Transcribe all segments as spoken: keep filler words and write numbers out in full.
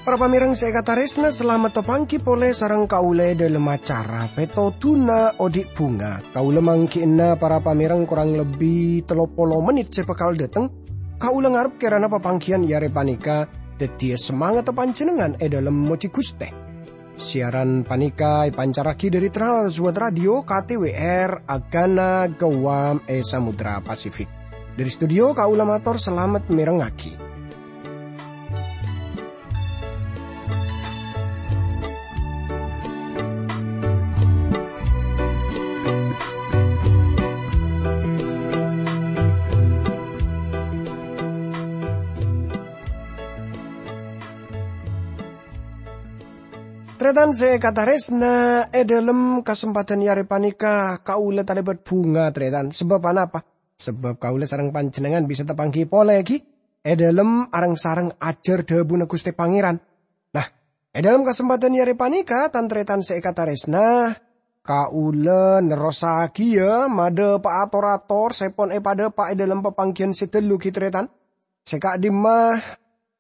Para pamèrèng sè èkatarèsna, salamet tapangghi polè sareng kaulâ è dhâlem acara Pètodhuna Odi' Bhunga. Kaulâ mangghi'na para pamèrèng korang lebbi tello polo mennit sè bhâkal dâteng. Kaulâ ngarep kèrana papangghiyân è arè panèka dhâddhiyâ samangatta panjhennengngan è dhâlem mojhi Ghustè. Siaran panèka èpancarraghi dhâri Trans World Radio K T W R Agana Guam è Samudra Pasifik. Dhâri studio kaulâ mator salamet mèrengngaghi. Tarètan sè èkatarèsna, è dhâlem kasempadhân è arè panèka kaulâ talèbât bhunga, tarètan. Sabâb anapa? Sabâb kaulâ sareng panjhennengngan bisa tapangghi polè ghi è dhâlem areng-sareng ajhâr dhâbuna Ghustè Pangèran. Nah, è dhâlem kasempadhân è arè panèka, tan-tarètan sè èkatarèsna, kaulâ nerrossaghiyâ madhâpa'a tor-ator sè pon èpadhâpa' è dhâlem papangghiyân sè ghâllu ghi, tarètan. Sè ka'dimma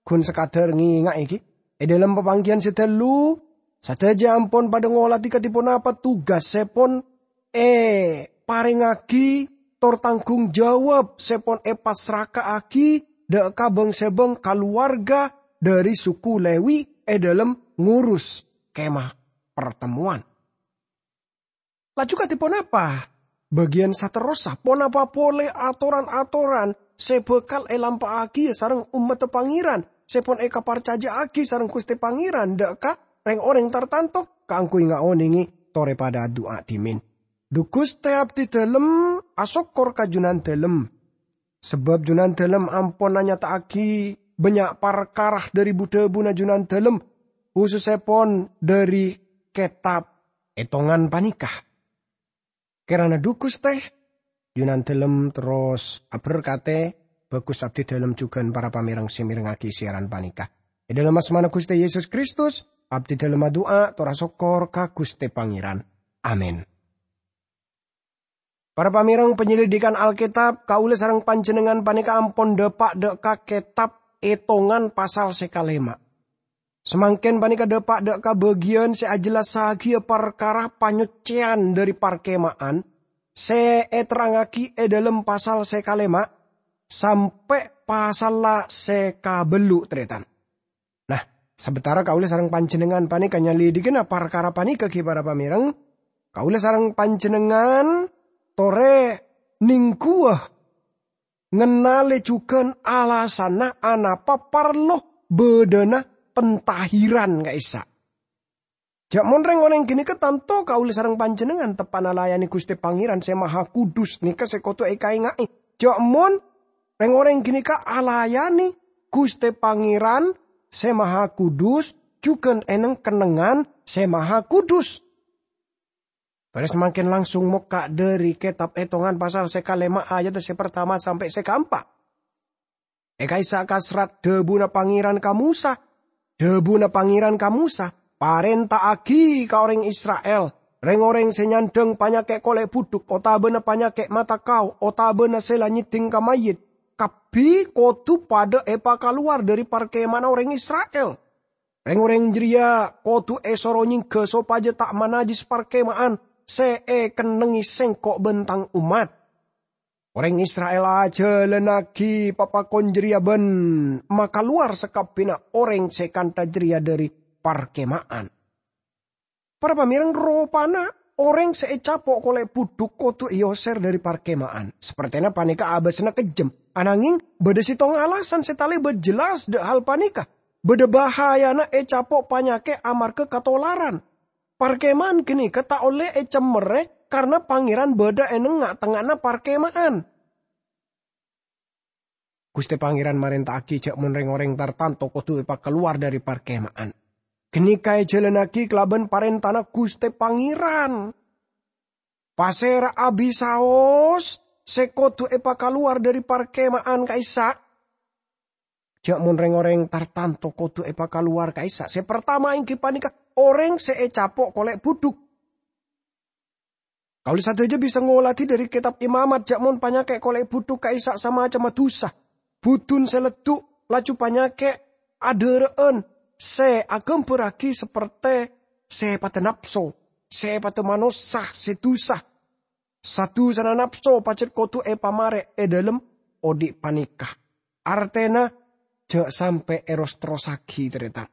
ghun sakadhâr ngènga'è ghi. È dhâlem papangghiyân sè ghâllu, sadhâjâ ampon padhâ ngolatè kadhi ponapa tugas sè pon èparèngngaghi tor tanggung jawab sè pon èpassraka'aghi dhâ' ka bâng-sèbâng kalowarga dhâri suku Lèwi è dhâlem ngurus Kemah Partemmowan. Laju kadhi ponapa bâgiyân saterrossa? Ponapa polè atoran-atoran sè bhâkal èlampa'aghiyâ sareng ommaddhâ Pangèran sè pon èkaparcajâ'aghi sareng Ghustè Pangèran dhâ' ka rèng-orèng tartanto kaangghuy ngaonèngè torè padhâ adu'a dhimèn? Dhu Ghustè, abdhi dhâlem asokkor ka Jhunandhâlem. Sabâb Jhunandhâlem ampon anyata'aghi bânnya' parkara dhâri bu-dhâbuna Jhunandhâlem, khusussèpon dhâri kètab ètongan panèka. Kèrana dhu Ghustè, Jhunandhâlem terros aberkatè, bhâghus abdhi dhâlem jhughân para pamèrèng sè mèrengngaghi siaran panèka. È dhâlem asmana Ghustè Yesus Kristus, abdhi dhâlem adu'a tor asokkor ka Ghustè Pangèran. Amin. Para pamèrèng panyelidikan Alkètab, kaulâ sareng panjhennengngan panèka ampon dhâpa' dhâ' ka kètab Ètongan pasal sè kalèma'. Samangkèn panèka dhâpa' dhâ' ka bâgiyân sè ajellassaghiyâ parkara panyoccèyan dhâri parkèma'an sè èterrangngaghi è dhâlem pasal sè kalèma' sampè' pasalla sè kabellu', tarètan. Nah, sabâtara kaulâ sareng panjhennengngan panèka nyalidikana parkara panèka ghi para pamèrèng, kaulâ sareng panjhennengngan torè nèngghuwâ ngennalè jhughân alasanna anapa parlo bâdâna pentahiran ka'issa'. Jhâ' mon rèng-orèng ghânèka tanto kaulâ sareng panjhennengngan teppa'na layanè Ghustè Pangèran Sè Mahakudus nèka sè kodhu èkaènga'è. Jhâ' mon rèng-orèng ghânèka alayanè Ghustè Pangèran Sè Mahakudus jhughân è neng-kennengngan Sè Mahakudus. Torè samangkèn langsung mokka' dhâri Kètab Ètongan pasal sè kalèma' ayadda sè partama sampè' sè kaempa'. È ka'issa' kasrat dhâbuna Pangèran ka Mosa. Dhâbuna Pangèran ka Mosa, "Parènta'aghi ka orèng Isra'il, rèng-orèng sè nyandhâng panyakè' kolè' budhuk otabâna panyakè' mata kao otabâna sè la nyèddhing ka mayyit, kabbhi kodhu padhâ èpakalowar dhâri parkèma'anna orèng Isra'il. Rèng-orèng jârèya kodhu èsoro nyèngghâ sopajâ ta' manajjis parkèma'an sè èkennengngè Sèngko' bân Tang ommat." Orèng Isra'il ajhâlânnaghi papakon jârèya bân makalowar sakabbhiyânna orèng sè kantha jârèya dhâri parkèma'an. Para pamèrèng, ropana orèng sè ècapo' kolè' budhuk kodhu èoser dhâri parkèma'an. Sapertèna panèka abâsana kejjhem, ananggèng bâdâ sèttong alasan sè talèbât jelas dhâ' hal panèka. Bâdâ bahayana ècapo' panyakè' amarghâ katolaran. Parkèma'an ghânèka ta' ollè ècemmèrè karna Pangèran bâdâ è neng-tengnga'anna parkèma'an. Ghustè Pangèran marènta'aghi jhâ' mon rèng-orèng tartanto kodhu èpakalowar dhâri parkèma'an. Ghânèka èjhâlânnaghi kalabân parèntana Ghustè Pangèran. Pasèra abisaos sè kodhu èpakalowar dhâri parkèma'an ka'issa'? ja' mon reng-oreng tartanto kodu epakalowar ka'issa'. Se partama enggi paneka oreng se ecapo' kole' budhuk. Kaula sadaja bisa ngoladi dhari Ketab Imamat ja' mon panyake' kole' budhuk ka'issa' samacemma dusa. Budun se leddu', laju panyake' adhara'an se agambarragi saperte se padha napso, se padha manossa se dusa. Sadusana napso pajat kodu epamare e dhalem odhi' paneka. Artena, ja' sampe' eros-terrossagi, taretan.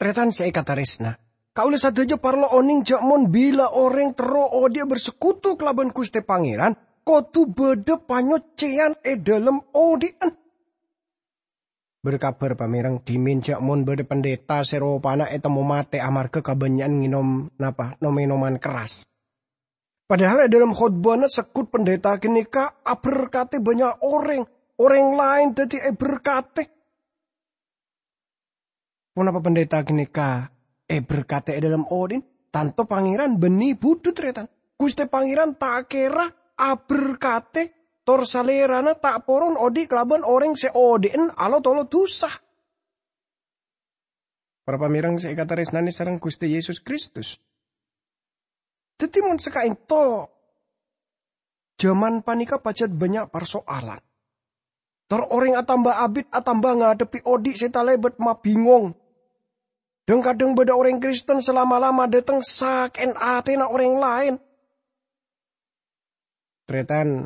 Taretan se ekataresna, kaula sadaja parlo oneng ja' mon bila oreng terro odhi'a bersekutu kalaban Guste Pangeran, kodu badha panyocceyan e dhalem odhi'an. Berkabar pamereng, dhimen ja' mon badha pendeta se ropana etemmo mate amarga kabannya'an ngenom, napa, nom-enoman keras. Padahal e dhalem khotbana seggut pendeta ganeka aberkate bannya' oreng. Oreng laen daddi eberkate. Ponapa pendeta ganeka eberkate e dhalem odhi'na? Tanto Pangeran banne budhu, taretan. Guste Pangeran ta' kera aberkate tor Salerana ta' poron odhi' kalaban oreng se odhi'an alo-tolo dusa. Para pamereng se ekataresnane sareng Guste Yesus Kristus. Daddi, mon saka'ento, jaman paneka pajat bannya' parso'alan. Tor oreng atamba abit atamba ngadhebbi odhi' se talebat mabingong. Dhang-kadhang badha oreng Kristen se lama-lama dhateng sake'en atena oreng laen. Taretan,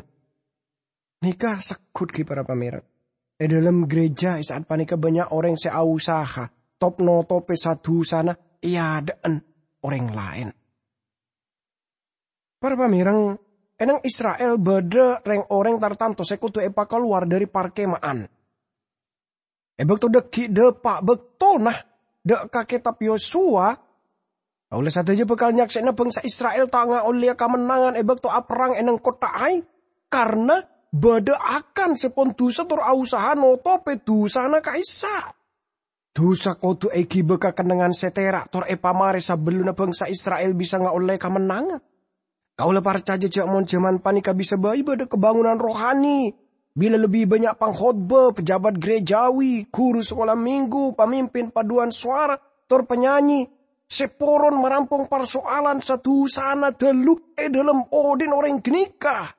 neka seggut gi para pamereng. E dhalem gereja e sa'at paneka bannya' oreng se ausaha top-notope sa-dusana e adha'an oreng laen. Para pamereng, e neng Isra'il badha reng-oreng tartanto se kodu epakalowar dhari parkema'an. E bakto dhaggi' dhapa' baktona dha' ka Ketab Yosua, kaula sadaja bakal nyaksena bangsa Isra'il ta' ngaolleya kamennangan e bakto aperrang e neng kottha Ai, karna badha Akan se pon dusa tor ausaha notope dusana ka'issa'. Dusa kodu egiba ka kennengngan se tera' tor epamare sabellunna bangsa Isra'il bisa ngaolle kamennangan. Kaula parcaja ja' mon jaman paneka bisa bai badha kabangunan rohani, bila lebbi bannya' pangkhotba, pejabat gerejawi, guru sekolah minggu, pamimpin paduan sowara, tor penyanyi se poron marampong parso'alan sa-dusana dalu e dhalem odhi'na oreng ganeka.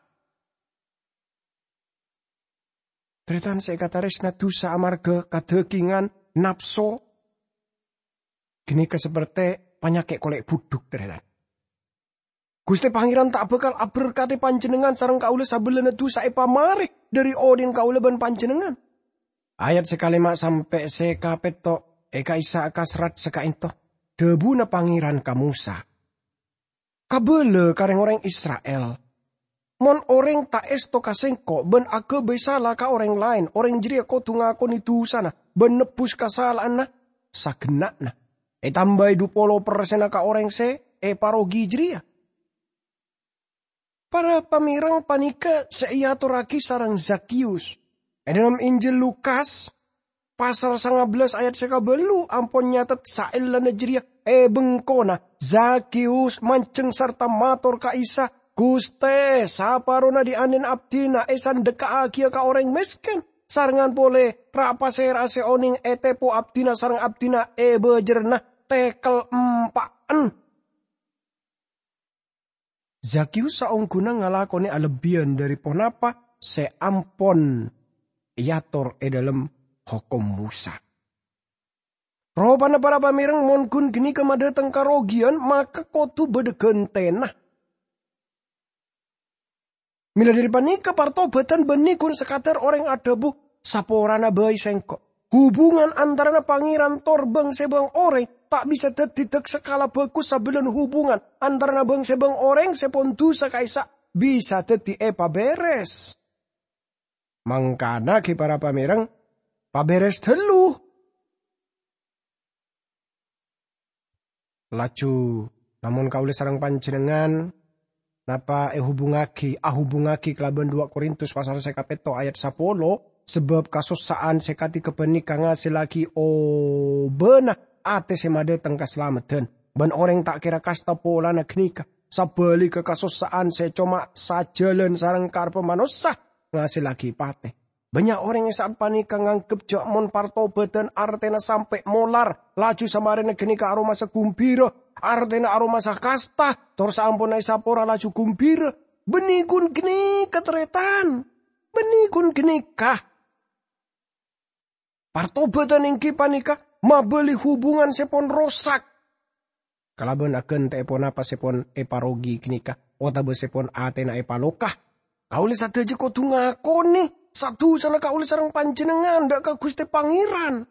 Taretan se ekataresna, dusa amarga kadagingan, napso, ganeka saperte panyake' kole' budhuk, taretan. Guste Pangeran ta' bakal aberkate panjennengngan sareng kaula sabellunna dusa epamare dhari odhi'na kaula ban panjennengngan. Ayat se kalema sampe' se kapetto' e ka'issa' kasrat saka'ento. Dhabuna Pangeran ka Mosa, "Kabala ka reng-oreng Isra'il, 'Mon oreng ta' esto ka Sengko' ban agabay sala ka oreng laen, oreng jareya kodu ngakone dusana ban nebbus kasala'anna sagenna'na, etambai dhu polo persenna ka oreng se eparogi jareya.'" Para pamereng, paneka se eatorragi sareng Zakheus e dhalem Injil Lukas, pasal sanga bellas ayat se kaballu ampon nyatet saellana jareya. E bengkona, Zakheus manjeng sarta mator ka Isa, "Guste, saparona dhi'-andhi'na abdina esandhekka'agiya ka oreng mesken, sarengngan pole ra-pasera'a se oneng etepo abdina sareng abdina ebajerrana tekel empa'en." Zakheus saongguna ngalakone alebbiyan dhari ponapa se ampon eator e dhalem Hokom Mosa. Ropana para pamereng, mon gun ganeka madhateng karogiyan, maka kodu badha gantena. Mila dhari paneka, partobatan banne gun sakadar oreng adhabu, "Saporana bai sengko'." Hubungan antarana Pangeran tor bang-sebang oreng ta' bisa daddi dak sakala bagus sabellunna hubungan antarana bang-sebang oreng se pon dusa ka'issa' bisa daddi epaberes. Mangkana gi para pamereng, paberes dalu. Laju, lamon kaula sareng panjennengngan, napa ehubungngagi, ahubungngagi kalaban dua Korintus pasal se kapetto ayat sapolo, sabab kasossa'an se kadi gapaneka ngasellagi obana ate se madhateng kasalameddan, ban oreng ta' kera kasta polana ganeka. Sabaligga, kasossa'an se coma sajalan sareng karebbhâ manossa ngasellagi pate. Bânnya' orèng è sa'at panèka nganggep jâ' mon partobâdhân artèna sampè' molar, laju samarèna ghânèka aromasa ghumbira, artèna aromasa kasta, tor saamponna èsapora laju ghumbira. Bânnè ghun ghânèka, tarètan. Bânnè ghun ghânèka. Partobâdhân èngghi panèka mabâli hubungan sè pon rosak. Kalabân aghântè'è ponapa sè pon èparogi ghânèka, otabâ sè pon atèna èpaloka. Kaulâ sadhâjâ kodhu ngakonè sa-dusana kaulâ sareng panjhennengngan dâ' ka Ghustè Pangèran.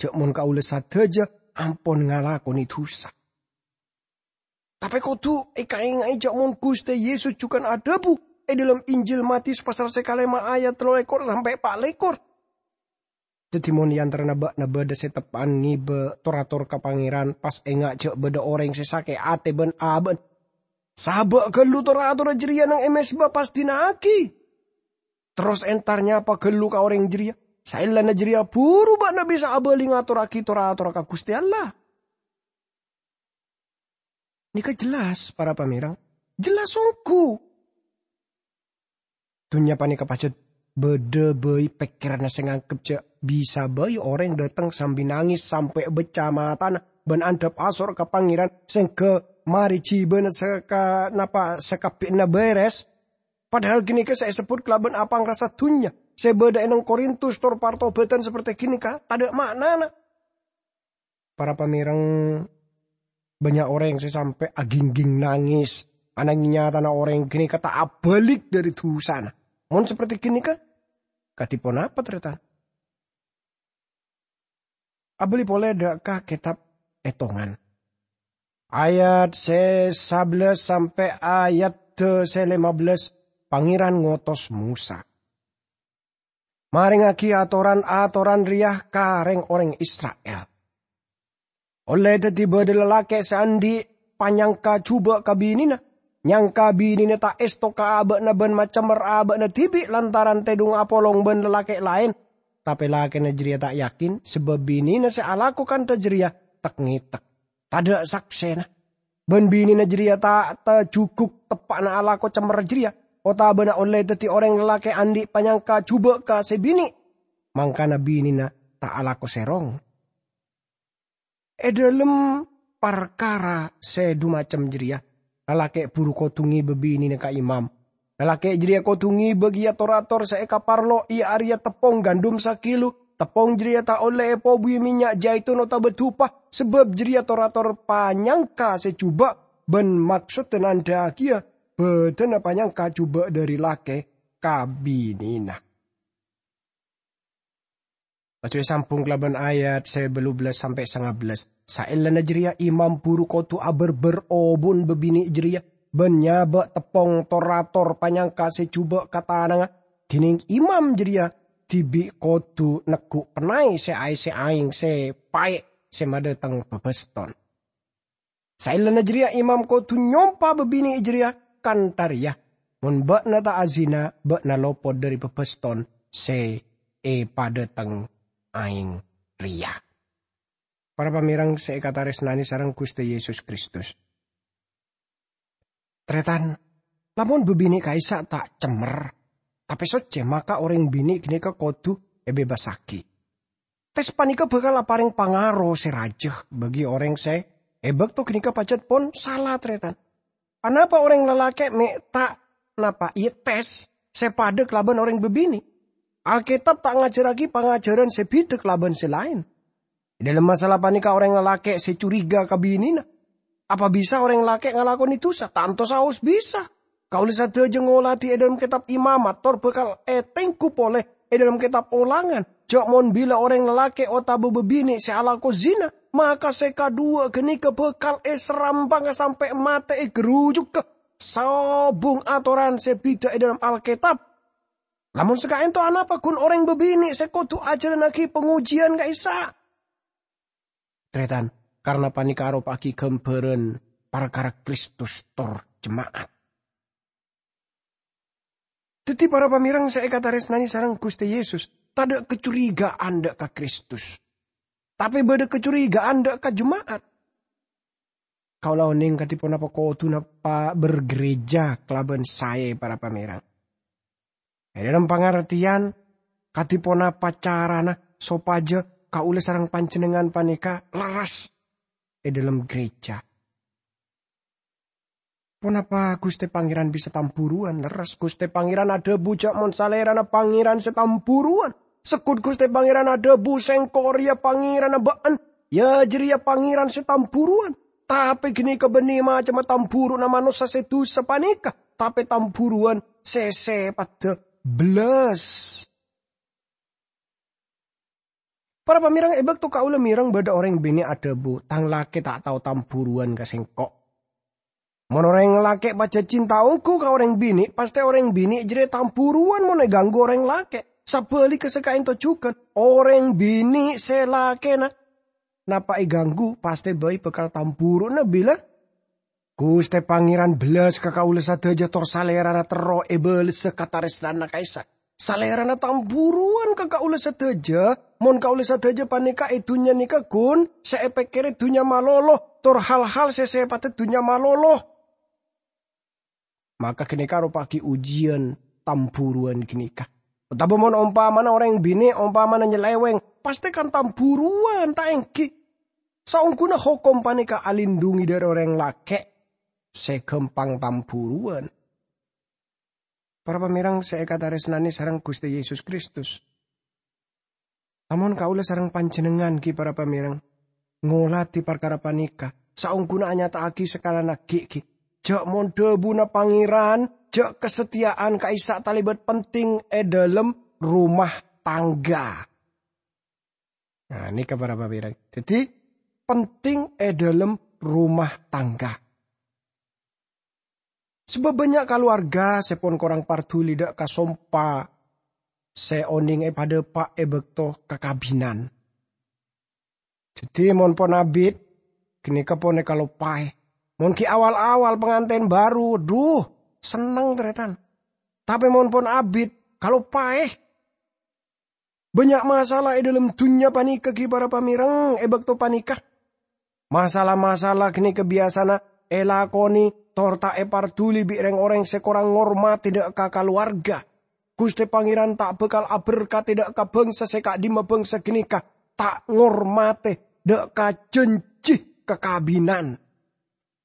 Jâ' mon kaulâ sadhâjâ ampon ngalakonè dusa. Tapè kodhu èkaènga'è jâ' mon Ghustè Yesus jhughân adhâbu è dhâlem Injil Matius pasal sè kalèma ayat tello lèkor sampè' pa' lèkor. Dhâddhi mon è antarana bâ'na bâdâ sè teppa'an ngibâ tor-ator ka Pangèran, pas enga' jâ' bâdâ orèng sè sakè' atè bân abâ'na, sabâ' ghâllu tor-atorra jârèya neng è mezba pas dina'aghi. Terros entar nyapa ghâllu ka orèng jârèya. Saellana jârèya buru bâ'na bisa abâli ngatorraghi tor-atorra ka Ghustè Allah. Nèka jelas, para pamèreng? Jelas ongghu. Dhunnya panèka pajhât bâdâ bhâi pèkkèranna sè nganggep jâ' bisa bhâi orèng dâteng sambi nangès sampè' beccè matana bân andhâp asor ka Pangèran sèngghâ marè jhibâna saka-, napa sakabbhiyânna bherres. Padahal ghânèka sè èsebbhut kalabân apangrasa dhunnya sè bâdâ è neng Korintus tor partobâdhân saperti ghânèka tadâ' ma'nana. Para pamèreng, bânnya' orèng sè sampè' aghingghing nangès, ananghing nyatana orèng ghânèka ta' abâlik dhâri dusana. Mon saperti ghânèka, kadhi ponapa, tarètan? Abâli polè dâ' ka kètab Ètongan. Ayat sè sabellâs sampè' ayat sè lèma bellâs, Pangèran ngotos Mosa. Marèngngaghi atoran-atoran rèya ka rèng-orèng Isra'il. Ollè dhâddhi bâdâ lalakè' sè andi' panyangka jhubâ' ka binèna. Nyangka binèna ta' èsto ka abâ'na bân macemmer abâ'na dhibi' lantaran tèdhung apolong bân lalakè' laèn. Tapè lakèna jârèya ta' yakin, sabâb binèna sè alako kantha jârèya tek-ngètek. Tadâ' saksèna. Bân binèna jârèya ta' tajhughuk teppa'na alako cemmer jârèya, otabâna ollè dhâddhi orèng lalakè' andi' panyangka jhubâ' ka sè binè', mangkana binèna ta' alako sèrong. È dhâlem parkara sè dhumacem jârèya, lalakè' buru kodhu ngibâ binèna ka imam. Lalakè' jârèya kodhu ngibâ kèya tor-ator sè èkaparlo, iyâ arèya teppong gandum sakilo. Teppong jârèya ta' ollè èpobuwi mènnya' jaitun otabâ dupa, sabâb jârèya tor-ator panyangka sè jhubâ', bân maksoddhâ nandhâ'aghiyâ bâdâna panyangka jhubâ' dhâri lakè' ka binèna. Laju èsambhung kalabân ayat sè bâllu bellâs sampè' sanga bellâs. Saellana jârèya imam buru kodhu abârbâr obun bâbinè' jârèya, bân nyabâ' teppong tor-ator panyangka sè jhubâ' ka tanangnga. Dhinèng imam jârèya dhibi' kodhu neggu' pennay sè aèssè aèng sè paè' sè madhâteng bâbâston. Saellana jârèya imam kodhu nyompa bâbinè' jârèya kantha rèya, "Mon bâ'na ta' azina, bâ'na lopot dhâri bâbâston sè èpadhâteng aèng rèya." Para pamèreng sè èkatarèsnanè sareng Ghustè Yesus Kristus. Tarètan, lamon bâbinè' ka'issa' ta' cemmer, tapè soccè, maka orèng binè' ghânèka kodhu èbebasaghi. Tes panèka bhâkal aparèng pangaro sè rajâ bagi orèng sè è bâkto ghânèka pajhât pon sala, tarètan. Anapa orèng lalakè' mè' ta' napa, iyâ, tes sè padâ kalabân orèng bâbinè'? Alkètab ta' ngajhârraghi pangajhârân sè bhidhâ kalabân sè laèn. È dhâlem masalah panèka orèng lalakè' sè curiga ka binèna. Apa bisa orèng lakè' ngalakonè dusa? Tanto saos bisa. Kaulâ sadhâjâ ngolatè è dhâlem kètab Imamat, tor bhâkal ètengghu polè è dhâlem kètab Olangan, jâ' mon bilâ orèng lalakè' otabâ bâbinè' sè alako zina, maka sè kadhuwâ ghânèka bhâkal èsarampanga sampè' matè ègherrujugghâ. Sobung atoran sè bhidhâ è dhâlem Alkètab. Lamon saka'ènto anapa ghun orèng bâbinè' sè kodhu ajhâlannaghi pangojiyân ka'issa'? Tarètan, karna panèka aropa'aghi ghâmbhârân parkara Kristus tor jema'at. Dhâddhi, para pamèreng sè èkatarèsnanè sareng Ghustè Yesus, tadâ' kacurigaan dâ' ka Kristus. Tapè bâdâ kacurigaan dâ' ka jema'at. Kaulâ onèng kadhi ponapa kodhuna pa-, bergereja kalabân saè, para pamèreng. È dhâlem pangartèyan, Kadhi ponapa carana sopajâ kaulâ sareng panjhennengngan panèka lerres è dhâlem gereja? Ponapa Ghustè Pangèran bisa tambhuruwân? Lerres, Ghustè Pangèran adhâbu jhâ' mon Salèrana Pangèran sè tambhuruwân. Segghut Ghustè Pangèran adhâbu, "Sèngko' rèya Pangèranna bâ'ân, ya jârèya Pangèran sè tambhuruwân." Tapè ghânèka bânnè macemma tambhuruwânna manossa sè dhusa panèka, tapè tambhuruwân sè sèpaddhâ bellas. Para pamèrèng, è bâkto kaulâ mèrèng bâdâ orèng binè' adhâbu, "Tang lakè ta' tao tambhuruwân ka sèngko'." Mon orèng lakè' pajhât cinta ongghu ka orèng binè', pastè orèng binè' jârèya tambhuruwân mon èganggu orèng lakè'. Sabhâligghâ sè ka'ènto jhughân, orèng binè' sè lakèna napa èganggu, pastè bhâi bhâkal tambhuruwânna bilâ Ghustè Pangèran bellas ka kaulâ sadhâjâ, tor Salèrana terro èbâlessa katarèsnanna ka'issa'. Salèrana tambhuruwân ka kaulâ sadhâjâ, mon kaulâ sadhâjâ panèka è dhunnya nèka ghun sè èpèkkèrè dhunnya malolo, tor hal-hal sè sèpaddhâ dhunnya malolo. Maka ghânèka aropa'aghi ojiyân tambhuruwân ghânèka. Otabâ mon ompamana orèng binè' ompamana nyalèwèng, pastè kan tambhuruwân, ta' èngghi? Saongghuna hokom panèka alindhungi dhâri orèng lakè' sè ghâmpang tambhuruwân. Para pamèrèng sè èkatarèsnanè sareng Ghustè Yesus Kristus. Lamon kaulâ sareng panjhennengngan, ghi, para pamèrèng, ngolatè parkara panèka, saongghuna anyata'aghi sakalana ghi', ghi, jhâ' mon dhâbuna Pangèran, jhâ' kasatteya'an ka'issa' talèbât penting è dhâlem rumah tangga. Nah, nèka para pamèrèng. Dhâddhi, penting è dhâlem rumah tangga. Sabâb bânnya' kalowarga sè pon korang parduli dhâ' ka sompa sè onèng èpadhâpa' è bâkto kakabinan. Dhâddhi, mon pon abit, ghânèka pon èkaloppaè. Mon ghi' awal-awal pangantèn bhâru, dhu, senneng, tarètan. Tapè mon pon abit, kaloppaè. Bânnya' masalah è dhâlem dhunnya panèka, ghi, para pamèrèng, è bâkto panèka. Masalah-masalah ghânèka biyasana èlakonè tor ta' èparduli bi' rèng-orèng sè korang ngormatè dhâ' ka kalowarga. Ghustè Pangèran ta' bhâkal aberkadhi dhâ' ka bhângsa sè ka'dimma bhângsa ghânèka ta' ngormatè dhâ' ka jhânjhi kakabinan.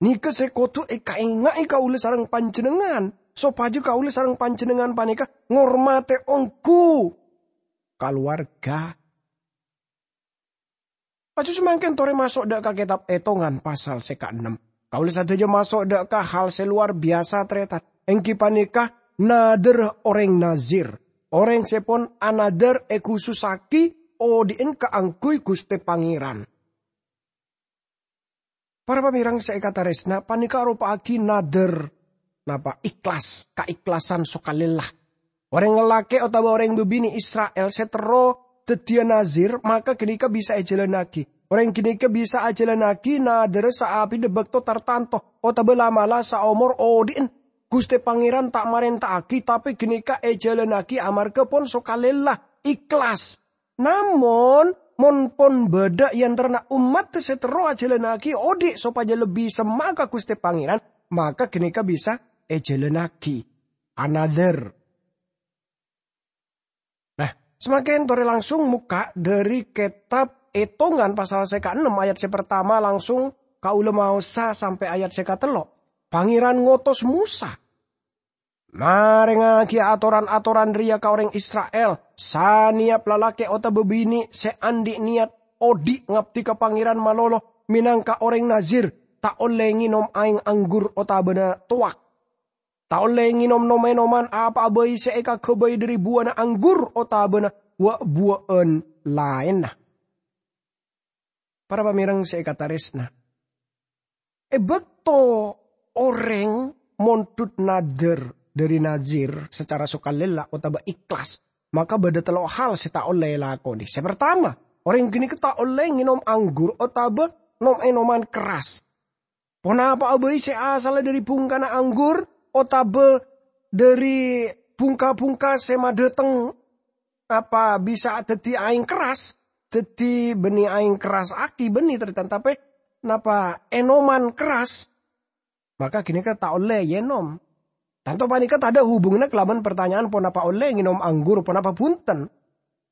Nèka sè kodhu èkaènga'è kaulâ sareng panjhennengngan, sopajâ kaulâ sareng panjhennengngan panèka ngormatè ongghu kalowarga. Laju samangkèn torè maso' dhâ' ka kètab Ètongan pasal sè kaennem. Kaulâ sadhâjâ maso' dhâ' ka hal sè lowar biyasa, tarètan, èngghi panèka nadhârrâ orèng Nazir. Orèng sè pon anadhâr èkhusussaghi odi'en kaangghuy Ghustè Pangèran. Para pamèrèng sè èkatarèsna, panèka aropa'aghi nadhâr, napa, ikhlas, kaikhlasan sokalella. Orèng lalakè' otabâ orèng bâbinè' Isra'il sè terro dhâddhiyâ Nazir, maka ghânèka bisa èjhâlânnaghi. Orèng ghânèka bisa ajhâlânnaghi nadhârrâ saabidhâ bâkto tartanto otabâ la'-mala' saomor odi'en. Ghustè Pangèran ta' marènta'aghi, tapè ghânèka èjhâlânnaghi amarghâ pon sokalella, ikhlas. Namong, mon pon bâdâ è antarana ommaddhâ sè terro ajhâlânnaghi odi' sopajâ lebbi semma' ka Ghustè Pangèran, maka ghânèka bisa èjhâlânnaghi. Anadhâr. Nah, samangkèn torè langsung mokka' dhâri kètab Ètongan pasal sè kaennem ayat sè partama langsung kaulâ maosa sampè' ayat sè katello'. Pangèran ngotos Mosa. Marèngngaghi atoran-atoran rèya ka orèng Isra'il, 'Sanèyap lalakè' otabâ binè' sè andi' nèyat odi' ngabdi ka Pangèran malolo mènangka orèng Nazir, ta' ollè ngènom aèng anggur otabâna towak. Ta' ollè ngènom nom-ènoman apa'a bhâi sè èkaghâbây dhâri buwâna anggur otabâna wa'-buwâ'ân laènna.' Para pamèrèng sè èkatarèsna, è bâkto orèng mondhut nadhâr dhâri Nazir sacara sokalella otabâ ikhlas, maka bâdâ tello' hal sè ta' ollè èlakonè. Sè partama, orèng ghânèka ta' ollè ngènom anggur otabâ nom-ènoman kerras. Ponapa'a bhâi sè asalla dhâri bhungkana anggur otabâ dhâri bhungka-bhungka sè madhâteng apa bisa dhâddhi aèng kerras, dhâddhi bânnè aèng kerras aki bânnè, tarètan, tapè napa ènoman kerras, maka ghânèka ta' ollè èènom. Tanto panèka tadâ' hubunganna kalabân partanya'an ponapa ollè ngènom anggur, ponapa bhunten.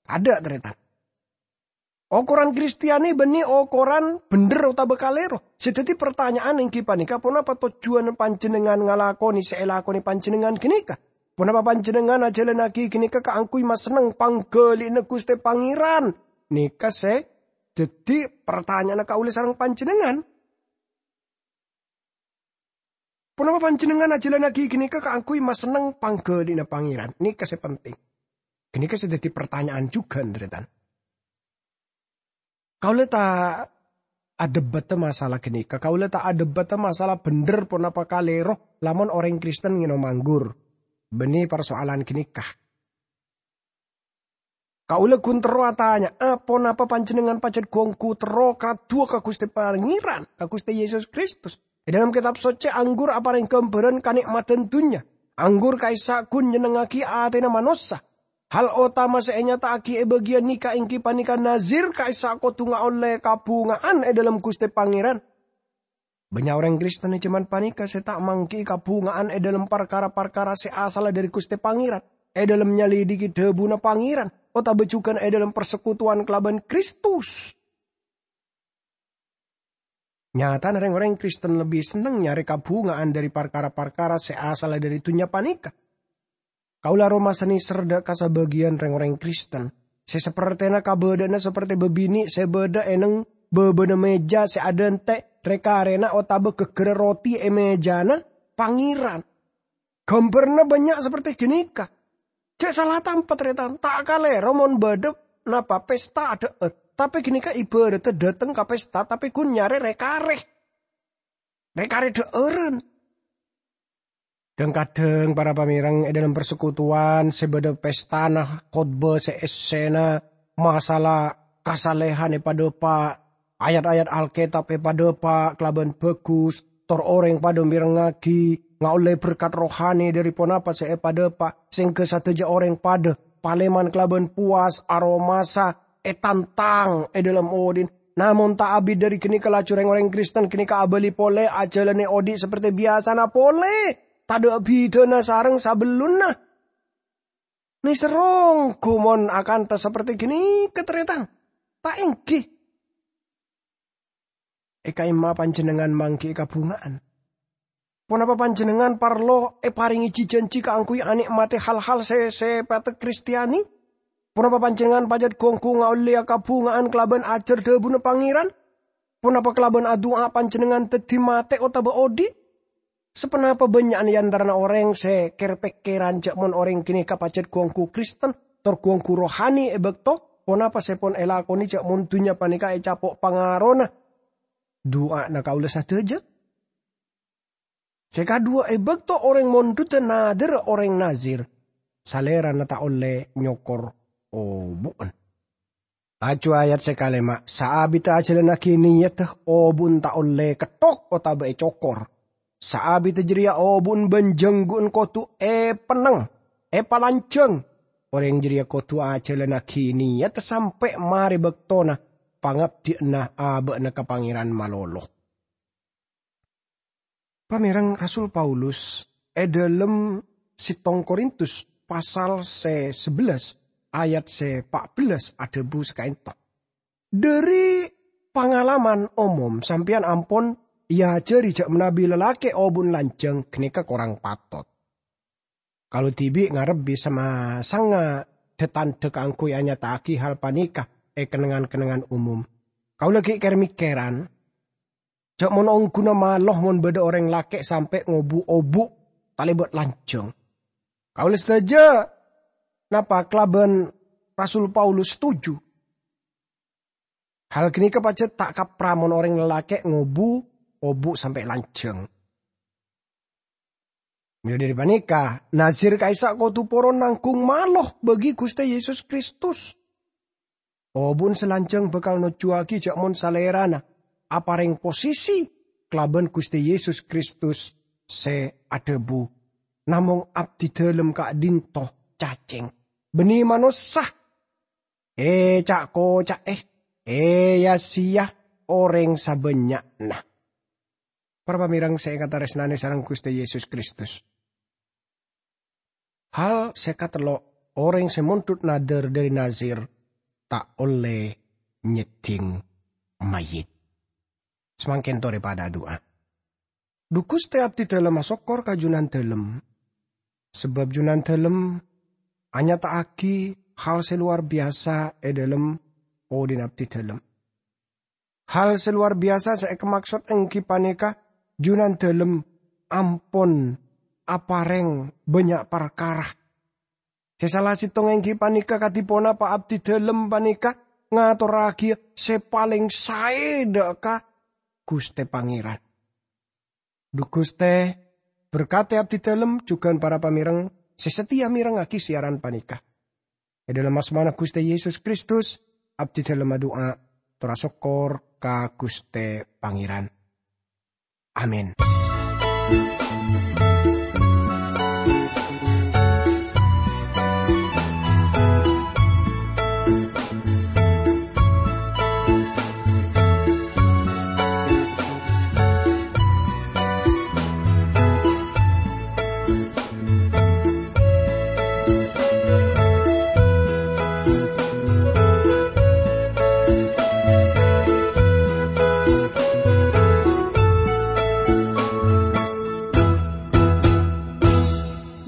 Tadâ', tarètan. Okoran Kristiani bânnè okoran bhendher otabâ kalèro. Sè dhâddhi partanya'an èngghi panèka, ponapa tojjhuwânna panjhennengngan ngalakonè sè èlakonè panjhennengngan ghânèka? Ponapa panjhennengngan ajhâlannaghi ghânèka kaangghuy masenneng pangghâli'na Ghustè Pangèran? Nèka sè dhâddhi partanya'anna kaulâ sareng panjhennengngan. Ponapa panjhennengngan ajhâlannaghi ghânèka kaangghuy masenneng pangghâli'na Pangèran? Nèka sè penting. Ghânèka sè dhâddhi partanya'an jhughân, tarètan. Kaulâ ta' adhebâta masalah ghânèka. Kaulâ ta' adhebâta masalah bhendher ponapa kalèro lamon orèng Kristen ngènom anggur. Bânnè parsoalan ghânèka. Kaulâ ghun terro atanya, ponapa panjhennengngan pajhât ghu-ongghu terro karaddhuwâ ka Ghustè Pangèran, ka Ghustè Yesus Kristus? È dhâlem Kètab Soccè, anggur aparèng ghâmbhârân kanè'madhân dhunnya. Anggur ka'issa' ghun nyennengngaghi atèna manossa. Hal otama sè ènyata'aghi è bâgiyân nèka èngghi panèka Nazir ka'issa' kodhu ngaollè kabhunga'an è dhâlem Ghustè Pangèran. Bânnya' orèng Kristen è jhâman panèka sè ta' mangghi'i kabhunga'an è dhâlem parkara-parkara sè asalla dhâri Ghustè Pangèran, è dhâlem nyalèdhighi dhâbuna Pangèran, otabâ jhughân è dhâlem parsekutuwan kalabân Kristus. Nyatana rèng-orèng Kristen lebbi senneng nyarè kabhunga'an dhâri parkara-parkara sè asalla dhâri dhunnya panèka. Kaulâ aromasa nèser dhâ' ka sabâgiyân rèng-orèng Kristen sè sapertèna kabâdâ'ânna sapertè bâbinè' sè bâdâ è neng bâbâna mèja sè adhânte' rè-karèna otabâ ghâgghârrâ roti è mèjana Pangèran. Ghâmbhârânna bânnya' sapertè ghânèka. Jhâ' sala tampa, tarètan. Ta' kalèro mon bâdâ napa pesta adhâ'âr. Tapè ghânèka ibhârâddhâ dhâteng ka pesta, tapè ghun nyarè rè-karè. Rè-karè dhâ'ârân. Dhâng-kadhâng para pamèreng è dhâlem parsekutuwan sè bâdâ pestana khotbah sè essèna masalah kasalèhan èpadâpa', ayat-ayat Alkètab èpadâpa' kalabân bhâghus, tor orèng padâ mèrengngaghi, ngaollè berkat rohani dhâri ponapa sè èpadâpa', sèngghâ sadhâjâ orèng padâ palèman kalabân powas aromasa ètantang è dhâlem odi'na. Namong ta' abit dhâri ghânèka laju rèng-orèng Kristen ghânèka abâli polè ajhâlânè odi' sapertè biyasana polè. Tadâ' bhidhâna sareng sabellunna. Nèser ongghu mon akanta sapertè ghânèka, tarètan? Ta' èngghi. È ka'imma panjhennengngan mangghi'i kabhunga'an? Ponapa panjhennengngan parlo èparèngè ji-janji kaangghuy anè'matè hal-hal sè sèpatta Kristiani? Ponapa panjhennengngan pajhât ghu-ongghu ngaollèya kabhunga'an kalabân ajhâr dhâbuna Pangèran? Ponapa kalabân adu'a panjhennengngan dhâddhi matè otabâ odi'? Saponapa bânnya'na è antarana orèng sè kèr-pèkkèran jhâ' mon orèng ghânèka pajhât ghu-ongghu Kristen, tor ghu-ongghu rohani è bâkto ponapa sè pon èlakonè jhâ' mon dhunnya panèka ècapo' pangarona du'ana kaulâ sadhâjâ? Sè kadhuwâ, è bâkto orèng mondhudhâ nadhârrâ orèng Nazir, salèrana ta' ollè nyokor obu'en. Laju ayat sè kalèma', saabiddhâ ajhâlannaghi niyaddhâ, obu'en ta' ollè ketthok otabâ ècokor. Saabiddhâ jârèya obu'en bân jhângghu'en kodhu èpennèng, èpalanjhâng. Orèng jârèya kodhu ajhâlannaghi niyat sampè' marè bâktona pangabdiyânna abâ'na ka Pangèran malolo. Pamèreng, Rasul Paulus è dhâlem Sèttong Korintus pasal sè sabellâs ayat sè pa' bellâs adhâbu sakaènto, "Dhâri pangalaman omom sampèyan ampon èajhâri jhâ' manabi lalakè' obu'en lanjhâng ghânèka korang patot." Kaulâ dhibi' ngarep bisa masangnga dha-tandha kaangghuy anyata'aghi hal panèka è kennengngan-kennengngan omom. Kaulâ ghi' kèr-mèkkèran, jhâ' mon ongghuna malo mon bâdâ orèng lakè' sampè' ngobu obu' talèbât lanjhâng. Kaulâ sadhâjâ napa kalabân Rasul Paulus setuju? Hal ghânèka pajhât ta' kapra mon orèng lalakè' ngobu obu' sampè' lanjhâng. Mèla dhâri panèka, Nazir ka'issa' kodhu poron nangghung malo bagi Ghustè Yesus Kristus. Obu'en sè lanjhâng bhâkal nojjhuwâghi jhâ' mon salèrana aparèng posisi kalabân Ghustè Yesus Kristus sè adhâbu, "Namong abdhi dhâlem ka'dhinto cacèng, bânnè manossa, èca'-koca'è, èya-sèya orèng sabânnya'na." Para pamèreng sè èkatarèsnanè sareng Ghustè Yesus Kristus. Hal sè katello', orèng sè mondhut nadhâr dhâri Nazir ta' ollè nyeddhing mayyit. Samangkèn torè padhâ adu'a. Dhu Ghustè, abdhidhâlem asokkor ka Jhunandhâlem, sabâb Jhunandhâlem anyata'aghi hal sè lowar biyasa è dhâlem odhi'na abdhidhâlem. Hal sè lowar biyasa sè èkamaksod èngghi panèka Jhunandhâlem ampon aparèng bânnya' parkara. Sè sala sèttongnga èngghi panèka kadhi ponapa abdhidhâlem panèka ngatorraghiyâ sè palèng saè dhâ' ka Ghustè Pangèran. Dhu Ghustè, berkadhi abdhidhâlem jhughân para pamèreng sè satèya mèrengngaghi siyaran panèka. È dhâlem asmana Ghustè Yesus Kristus, abdhidhâlem adu'a, tor asokkor ka Ghustè Pangèran. Amin.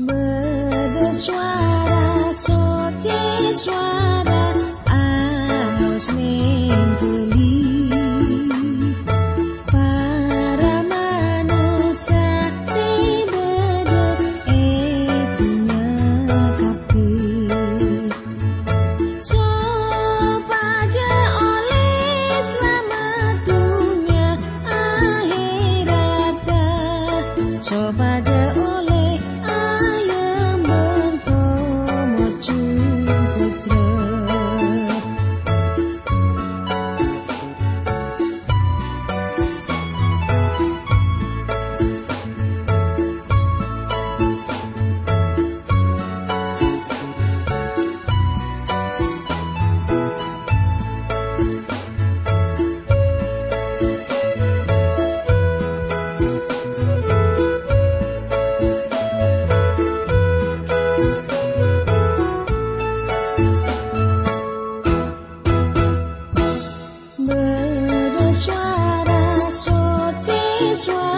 Bâdâ sowara soccè, sowara alos nèngghâli para manossa sè bâdâ è dhunnya kabbhi. Sopajâ ollè salamet dhunnya ahèratta, sopajâ ollè ayembhâng pomoju pojhâ. Bâdâ sowara soccè, sowara